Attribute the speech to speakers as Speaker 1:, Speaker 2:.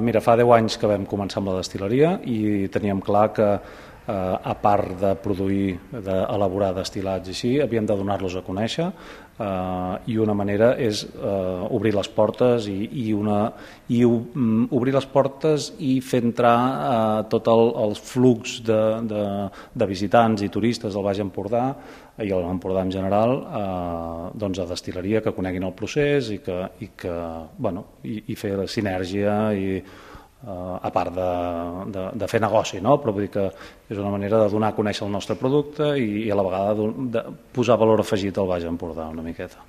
Speaker 1: Mira, fa 10 anys que vam començar amb la destil·leria i teníem clar que a part de produir, d'elaborar destil·lats i així, havíem de donar-los a conèixer i una manera és obrir les portes obrir les portes i fer entrar tot el flux de visitants i turistes del Baix Empordà i l'Empordà en general doncs a destil·leria, que coneguin el procés i fer la sinergia a part de fer negoci, no? Però vull dir que és una manera de donar a conèixer el nostre producte i a la vegada de posar valor afegit al Baix Empordà una miqueta.